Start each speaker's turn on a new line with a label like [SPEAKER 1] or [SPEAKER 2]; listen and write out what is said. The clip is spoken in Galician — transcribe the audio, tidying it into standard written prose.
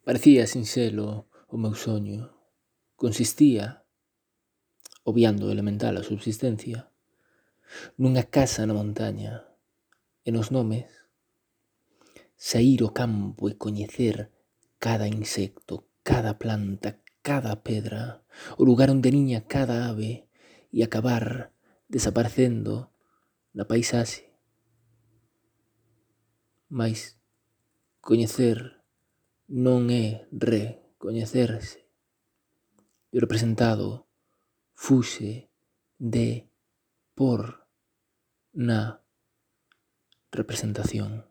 [SPEAKER 1] Parecía sinxelo o meu soño. Consistía, obviando o elemental a subsistencia, nunha casa na montaña e nos nomes saír ao campo e coñecer cada insecto, cada planta, cada pedra, o lugar onde niña cada ave e acabar desaparecendo na paisaxe. Mais coñecer non é recoñecerse. E o representado fuxe de por na representación.